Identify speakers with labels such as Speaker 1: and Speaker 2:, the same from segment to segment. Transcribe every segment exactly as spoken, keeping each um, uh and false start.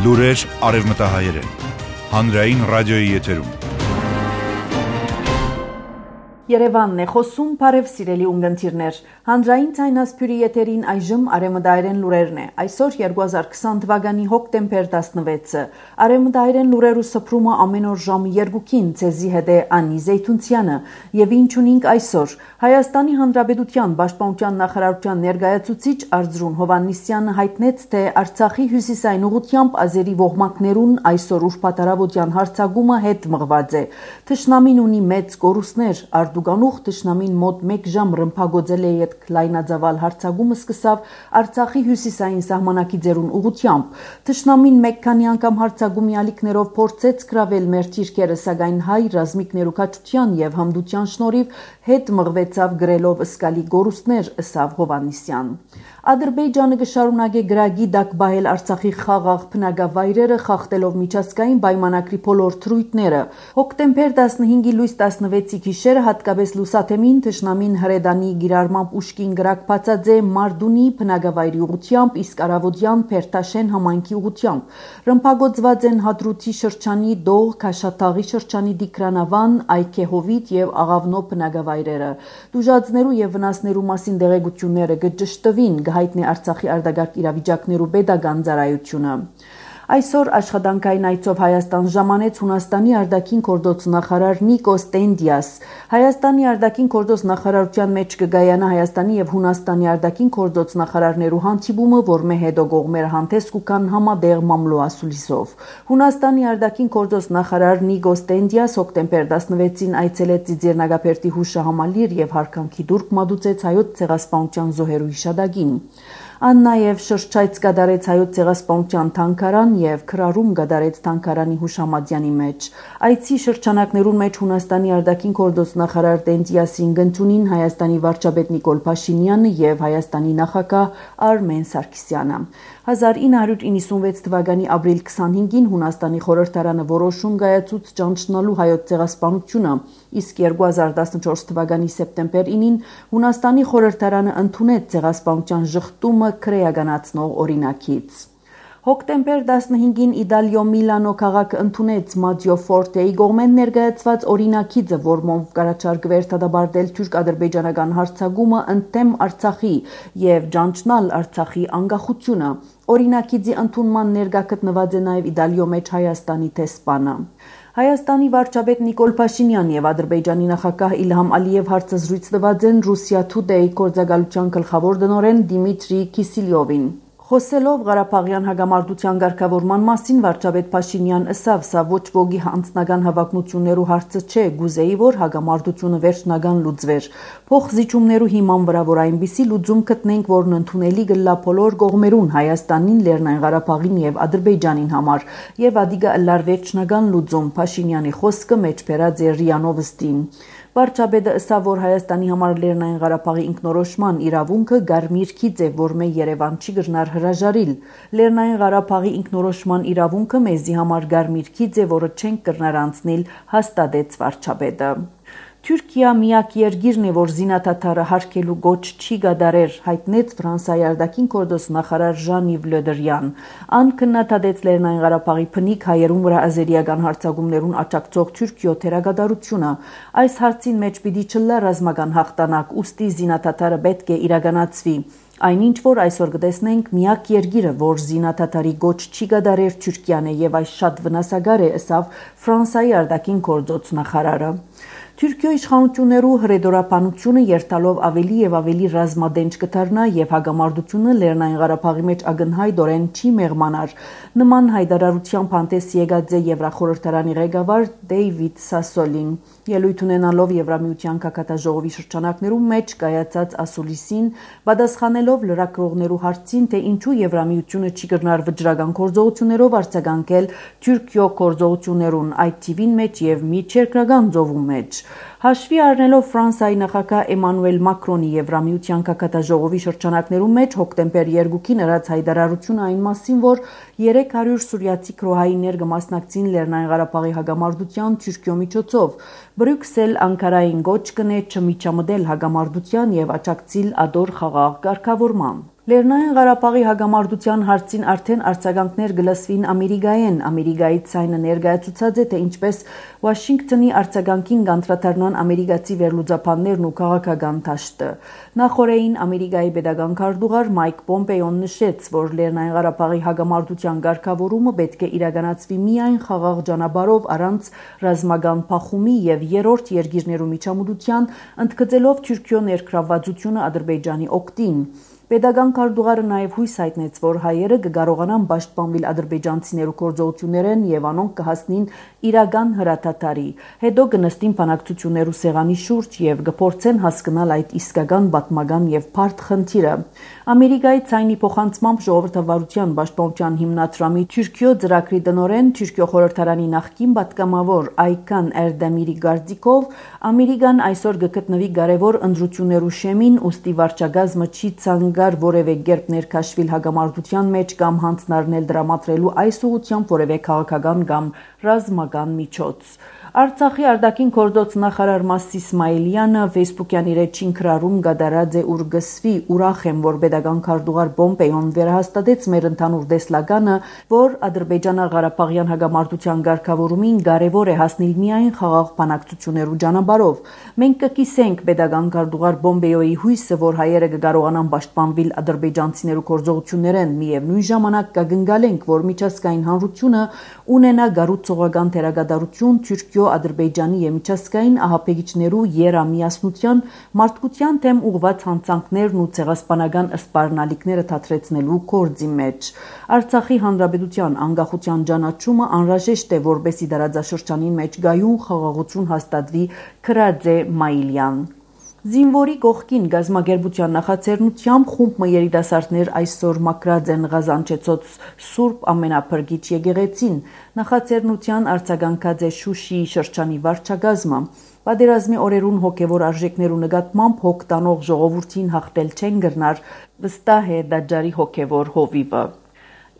Speaker 1: Լուրեր արևմտահայերեն։ Հանրային ռադիոյի եթերում։
Speaker 2: Երևանն է խոսում, բարև սիրելի ունգընտիրներ։ Հանրային ցայնասփյուրի եթերին այժմ արևմտահայերեն լուրերն է։ Այսօր երկու հազար քսան թվականի հոկտեմբեր տասնվեցը։ Արևմտահայերեն լուրերու սփռումը ամեն օր ժամը երկուքին ցեզի հետ է Անի Զեյթունցյանը։ Եվ ինչ ունենք այսօր։ Հայաստանի Հանրապետության Պաշտպանության նախարարության ներկայացուցիչ Արծրուն Հովհաննիսյանը հայտնեց, թե Արցախի հյուսիսային ուղղությամբ ազերի ոհմակներուն այսօր ուրբաթ-առավոտյան հարձակումը հետ մղված է։ Թշնամին ունի մեծ կորուստներ, Արտուգանուղ թշնամին մոտ մեկ ժամ ռմբագոծել է յետ լայնածավալ հարձակումը սկսավ Արցախի հյուսիսային սահմանակիցերուն ուղղությամբ։ Թշնամին մեկ քանի անգամ հարձակումի ալիքներով փորձեց գրավել մեր թիրքերը, սակայն հայ ռազմիկներու քաջության եւ հմդության շնորհիվ հետ մղվեցավ գրելով ըսկալի գորուստներ, ըսավ Հովհաննիսյան։ Ադրբեջանը կշարունակե գրագի դակ բայել Արցախի խաղաղ բնակավայրերը, խախտելով միջազգային պայմանագրի բոլոր թրույթները։ Հոկտեմբեր տասնհինգի լույս տասնվեցի գիշերը հատկապես լուսաթեմին թշնամին հրեդանի գիրառմամբ ուշքին գրակ բացած է Մարդունի բնակավայրի ուղղությամբ, իսկ առավոտյան Փերթաշեն համայնքի ուղղությամբ։ Ռմբագոծված են Հադրութի շրջանի Դող, Քաշաթաղի շրջանի Դիկրանավան, Այքեհովիտ եւ Աղավնո բնակավայրերը։ Դուժածներու եւ վնասներու մասին դեղեցությունները կճշտվին, հայտնի Արցախի արտագաղթ իրավիճակներու պետական ծառայությունը։ Այսօր աշխատանքային այցով Հայաստան ժամանեց Հունաստանի արտաքին գործ նախարար Նիկոս Տենդիաս։ Հայաստանի արտաքին գործ նախարարության մեջ կգայանա Հայաստանի եւ Հունաստանի արտաքին գործ նախարարներու հանդիպումը, որ մե հետո կողմերը հանդես կան համատեղ մամլո ասուլիսով։ Հունաստանի արտաքին գործ նախարար Նիկոս Տենդիաս հոկտեմբեր տասնվեցին այցելեց Ծիծեռնագապերտի հուշահամալիր եւ հարկանքի դուրք մատուցեց հայոց ցեղասպանության զոհերու հիշադակին։ Ան նաև շրջայց կդարեց հայոց ցեղասպանության թանգարան եւ քրարում կդարեց թանգարանի հուշամատյանի մեջ։ Այցի շրջանակներուն մեջ Հունաստանի արտաքին գործ նախարար Տենդիասին գտնունին Հայաստանի վարչապետ Նիկոլ Փաշինյանը եւ Հայաստանի նախագահ Արմեն Սարգսյանը։ հազար ինը հարյուր իննսունվեց թվականի ապրիլ քսանհինգին Հունաստանի խորհրդարանը որոշում կայացուց ճանչնալու հայոց ցեղասպանությունը, իսկ երկու հազար տասնչորս թվականի սեպտեմբեր ինին Հունաստանի խորհրդարանը ընդունեց ցեղասպանության ժխտումը քրեականացնող օրինակից։ Հոկտեմբեր տասնհինգին Իտալիո Միլանո քաղաքը ընդունեց Մատիո Ֆորտեի կողմեն ներկայացված օրինակիցը, որոնով կառաջարկվեր դադարել թուրք-ադրբեջանական հարձակումը ընդդեմ Արցախի եւ ճանչնալ Արցախի անկախությունը։ Օրինակիցի ընդունման ներկա գտնված է նաեւ Իտալիո մեջ Հայաստանի տեսփանը։ Հայաստանի վարչապետ Նիկոլ Փաշինյան եւ Ադրբեջանի նախագահ Իլհամ Ալիև հարցազրույց տված են Ռուսիա Today գործակալության գլխավոր տնօրեն Դիմիտրի Կիսիլյովին։ Խոսելով Ղարաբաղյան հագամարտության ղեկավարման մասին վարչապետ Փաշինյան ըսավ, սա ոչ ոքի անձնական հավակնություններու հարցը չէ, գուզեի որ հագամարտությունը վերջնական լուծվեր։ Փոխզիջումներու հիման վրա որ այնպիսի լուծում գտնենք, որն ընդունելի կլա բոլոր կողմերուն Հայաստանին, Լեռնային Ղարաբաղին եւ Ադրբեջանին համար, եւ ադիգա ըլլար վերջնական լուծում, Փաշինյանի խոսքը մեջ բերած է ՌԻԱ Նովոստին։ Վարչապետը ըսավ, որ Հայաստանի համար Լեռնային Ղարաբաղի ինքնորոշման իրավունքը գարմիր քիծ է, որ մե Երևան չի գտնար հրաժարիլ։ Լեռնային Ղարաբաղի ինքնորոշման իրավունքը մեզի համար գարմիր քիծ է, որը չենք կրնար անցնել, հաստատեց վարչապետը։ Թուրքիա միակ երկիրն է, որ զինադադարը հարգելու գոչ չի կատարեր, հայտնեց Ֆրանսիայի արտաքին գործ նախարար Ժան-Իվ Լը Դրյան։ Ան քննադատեց Լեռնային Ղարաբաղի բնիկ հայերուն վրա ազերիական հարձակումներուն աջակցող Թուրքիո թերագադարությունը։ Այս հարցին մեջ պիտի չլա ռազմական հաղթանակ, ուստի զինադադարը պետք է իրականացվի։ Այնինչ որ այսօր կտեսնենք միակ երկիրը, որ զինադադարի գոչ չի կատարեր Թուրքիան է եւ այս շատ վնասակար է, ըսավ Ֆրանսիայի արտաքին գործ նախարարը։ Թուրքիո իշխանություններու հրեդորապանությունը երթալով ավելի եւ ավելի ռազմադենջ կդառնա եւ հագամարտությունը Լեռնային Ղարաբաղի մեջ ակնհայտորեն չի մեղմանար։ Նման հայտարարությամբ հանդես եկած է Եվրախորհրդարանի ղեկավար Դեյվիդ Սասոլին։ Ելույթ ունենալով Եվրամիության կակատաժողովի շրջանակներում մեջ կայացած ասուլիսին, պատասխանելով լրագրողներու հարցին, թե ինչու Եվրամիությունը չի կրնար վճռական գործողություններով արձագանքել Թուրքիո գործողություններուն այդ թիվին մեջ եւ միջերկրական ծովու մեջ։ Հաշվի առնելով Ֆրանսիայի նախագահ Էմանուել Մակրոնի Եվրամիության կակատաժողովի շրջանակներում մեջ հոկտեմբեր երկուքին ըրած հայտարարությունը այն մասին, որ երեք հարյուր սուրիացի քրոհայիններ կմասնակցին Լեռնային Ղարաբաղի հագամարտության Թուրքիո միջոցով, Բրյուսել Անկարային գոչ կնե չմիջամտել հագամարտության եւ աջակցել ադոր խաղաղ կարգավորման։ Լեռնային Ղարաբաղի հագամարտության հարցին արդեն արձագանքներ գլսվին Ամերիկայեն։ Ամերիկայի ցայնը ներկայացուցած է, թե ինչպես Վաշինգտոնի արձագանքին կանդրադառնան ամերիկացի վերլուծաբաններն ու քաղաքական դաշտը։ Նախորդին Ամերիկայի պետական քարտուղար Մայք Պոմպեոն նշեց, որ Լեռնային Ղարաբաղի հագամարտության ղեկավարումը պետք է իրականացվի միայն խաղաղ ճանապարհով առանց ռազմական փախումի եւ երրորդ երկիրներու միջամտության, ընդգծելով Թուրքիո ներգրավվածությունը Ադրբեջանի օգտին։ Պետական քարտուղարը նաև հույս հայտնեց, որ հայերը կկարողանան պաշտպանվել ադրբեջանցիներու գործողություններեն եւ անոնք կհասնին իրական հրաթաթարի։ Հետո կնստին բանակցություններու սեղանի շուրջ եւ կփորձեն հասկանալ այդ իսկական պատմական եւ բարդ խնդիրը։ Ամերիկայի ցայնի փոխանցմամբ ժողովրդավարության պաշտպանության հիմնադրամի Թուրքիո ծրագրի տնօրեն Թուրքիո խորհրդարանի նախկին պատգամավոր Այքան Էրդեմիրի գարդիկով Ամերիկան այսօր կգտնվի կարևոր ընտրություններու շեմին, ուստի վարչագազմը չի ցանկար որևէ կերպ ներքաշվել հագամարտության մեջ կամ հանձնարարնել դրամատրելու այս ուղղությամբ որևէ քաղաքական կամ ռազմական միջոց։ Արցախի արտաքին գործոց նախարար Մաս Իսմայելյանը Facebook-յան իր էջին գրառում կատարած է ուր գսվի ուրախ եմ, որ պետական քարտուղար Պոմպեոն վերահաստատեց մեր ընդհանուր տեսլականը, որ Ադրբեջանա-Ղարաբաղյան հագամարտության ղեկավարումին կարևոր է հասնել միայն խաղաղ բանակցություններու ճանապարհով։ Մենք կկիսենք պետական քարտուղար Պոմպեոյի հույսը, որ հայերը կկարողանան պաշտպանվել ադրբեջանցիներու գործողություններեն, միևնույն ժամանակ կգնգալենք, որ միջազգային հանրությունը ունենա գառուցողական դերակատարություն Թուրքիո Ադրբեջանի եւ միջազգային ահաբեկիչներու երամիասնության, մարդկության թեմ ուղղված հանցանքներն ու ցեղասպանական սպառնալիքները դադրեցնելու գործի մեջ։ Արցախի հանրապետության անկախության ճանաչումը անհրաժեշտ է, որպեսզի դարաձաշրջանի մեջ գայուն խաղաղություն հաստատվի, գրած է Մայիլյան։ Զինվորի կողքին գազագերբության նախաձեռնությամբ խումբ երիտասարդներ այսօր մաքրած են Ղազանչեցոց Սուրբ Ամենափրկիչ եկեղեցին։ Նախաձեռնության արձագանքած է Շուշիի շրջանի վարչագազմը։ Պատերազմի օրերուն հոգևոր արժեքներու նկատմամբ հոգ տանող ժողովրդին հաղթել չեն գրնար, վստահ է Դաջարի հոգևոր հովիվը։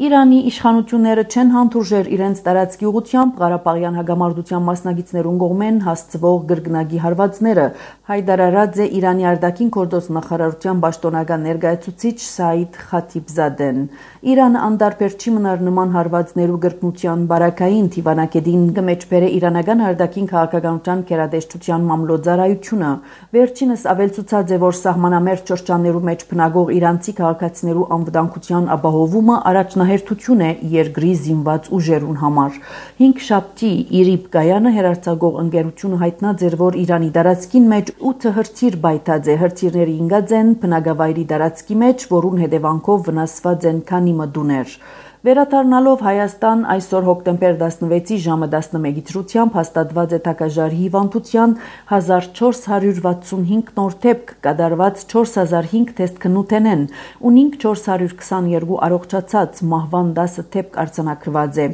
Speaker 2: Իրանի իշխանությունները չեն հանդուրժեր իրենց տարածքի ուղղությամբ Ղարաբաղյան հագամարտության մասնակիցներուն կողմեն հասցվող գրգնակի հարվածները, հայտարարած է Իրանի արտաքին գործոց նախարարության պաշտոնական ներկայացուցիչ Սաիդ Խաթիբզադեն։ Իրանը անդարբեր չի մնար նման հարվածներու գրգնության բարակային թիվանակետին կմեջբերե իրանական արտաքին քաղաքականության կերադեշտության մամլոյցարայությունը։ Վերջինս ավելցուցած է, որ սահմանամերձ շրջաններու մեջ բնակող իրանցի քաղաքացիներու անվտանգության ապահովումը առաջնահերթ հերթություն է երկրի զինված ուժերուն համար։ Հինգ շաբթի Իրիբ Կայանը հերարցակող ընկերությունը հայտնած էր, որ Իրանի տարածքին մեջ ութ հրթիռ բայթած է, հրթիռները ինգած են բնակավայրի տարածքի մեջ, որուն հետևանքով վնասված են քանի մտուներ։ Վերադառնալով Հայաստան այսօր հոկտեմբեր տասնվեցի ժամը տասնմեկի դրությամբ հաստատված է Թակաժարի հիվանդության հազար չորս հարյուր վաթսունհինգ նոր դեպք, կատարված չորս հազար հինգ թեստ քննութենեն, ունինք չորս հարյուր քսաներկու առողջացած, մահվան դասը դեպք արձանագրված է։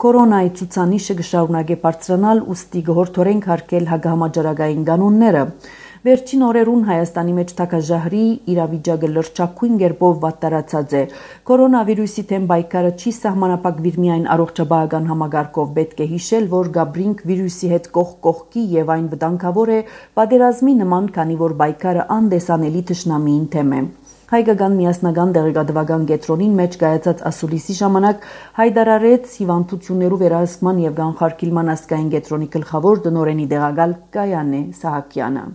Speaker 2: Կորոնայի ցուցանիշը կշարունակե բարձրանալ, ուստի կհորդորենք հարգել հագահամաճարակային կանոնները։ Վերջին օրերուն Հայաստանի մեջ թակաժահրի իրավիճակը լրջակույն կերպով վատտարացած է։ Կորոնավիրուսի թեմ պայքարը չի սահմանափակվիր միայն առողջապահական համակարգով, պետք է հիշել, որ գաբրինք վիրուսի հետ կողք կողքի եւ այն վտանգավոր է պատերազմի նման, քանի որ պայքարը անդեսանելի թշնամիին թեմ է։ Հայկական միասնական դեղեկատվական կենտրոնին մեջ կայացած ասուլիսի ժամանակ հայտարարեց հիվանդություններու վերահսկման եւ կանխարգելման ազգային կենտրոնի գլխավոր տնօրենի տեղակալ Կայանե Սահակյանը։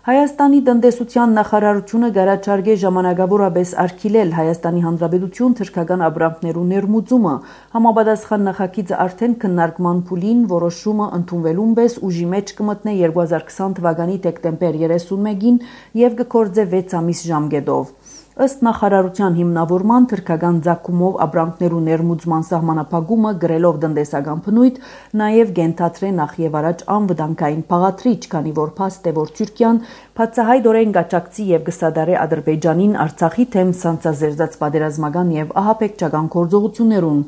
Speaker 2: Հայաստանի տնտեսության նախարարությունը գարաչարգե ժամանակավորապես արգելել Հայաստանի Հանրապետություն թրքական ապրանքներու ներմուծումը։ Համապատասխան նախագիծը արդեն քննարկման փուլին, որոշումը ընդունվելուն պես ուժի մեջ կմտնե երկու հազար քսան թվականի դեկտեմբեր երեսունմեկին եւ կգործե վեց ամիս ժամկետով։ Ըստ նախարարության հիմնավորման թրքական ցակումով ապրանքներու ներմուծման սահմանափակումը գրելով տնտեսական բնույթ նաև կենթադրե նախ եւ առաջ անվտանգային փաղադրիչ, քանի որ փաստ է, որ Թուրքիան բացահայտորեն կաճակցի եւ կսադարե Ադրբեջանին Արցախի թեմ սանձազերծած պատերազմական եւ ահաբեկչական գործողություններուն։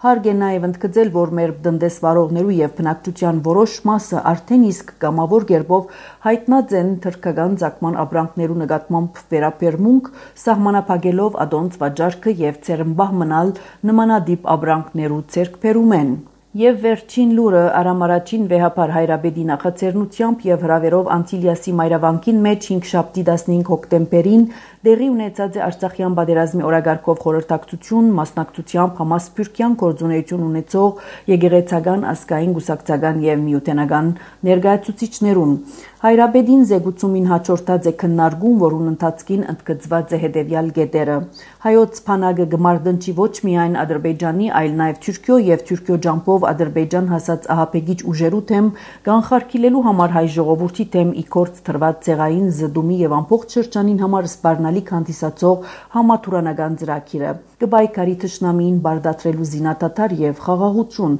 Speaker 2: Հարկ է նաև ընդգծել, որ մեր տնտեսվարողներու եւ բնակչության որոշ մասը արդեն իսկ կամավոր կերպով հայտնած են թրքական ցակման ապրանքներու նկատմամբ վերաբերմունք, սահմանափակելով ադոնց վաճառքը եւ ցերմբահ մնալ նմանադիպ ապրանքներու ցերկբերումեն։ Եվ վերջին լուրը Արամ առաջին վեհապար Հայրաբեդի նախաձեռնությամբ եւ հրավերով Անտիլիասի մայրավանքին մեջ հինգշաբթի տասնհինգ հոկտեմբերին դեղի ունեցած է Արցախյան պատերազմի օրագարկով խորհրդակցություն, մասնակցությամբ համասփյուռքյան գործունեություն ունեցող եկեղեցական, ազգային, գուսակցական եւ միութենական ներկայացուցիչներուն։ Հայրաբեդին զեկուցումին հաջորդած է քննարկում, որուն ընթացքին ընդգծված է հետևյալ գետերը։ Հայոց փանագը գմարդնչի ոչ միայն Ադրբեջանի, այլ նաեւ Թուրքիո եւ Թուրքիո ջամփով Ադրբեջան հասած ահապեգիչ ուժերու թեմ կանխարգելելու համար հայ ժողովրդի թեմ իքորց թրված ցեղային զդումի եւ ամբողջ շրջանին համար սպառնալիք հանդիսացող համաթուրանական ծրագիրը կբայկարի թշնամին բարդատրելու զինադադար եւ խաղաղություն։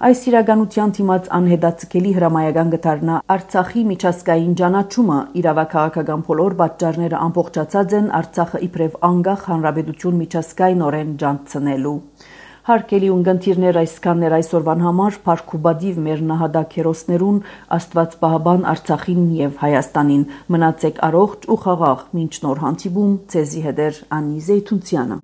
Speaker 2: Այս իրականության դիմաց անհետաձգելի հրամայական գտարնա Արցախի միջազգային ճանաչումը, իրավաքաղաքական բոլոր պատճառները ամբողջացած են Արցախը իբրև անկախ հանրապետություն միջազգայինորեն ջանցնելու։ Հարկելի ունգընտիրներ այսքանն էր այսօրվան համար, փառք ու բադիվ մեր նահատակ հերոսներուն, Աստված պահապան Արցախին եւ Հայաստանին։ Մնացեք առողջ ու խաղաղ, մինչ նոր հանդիպում, ցեզի հետ Անի Զեյթունցյանը։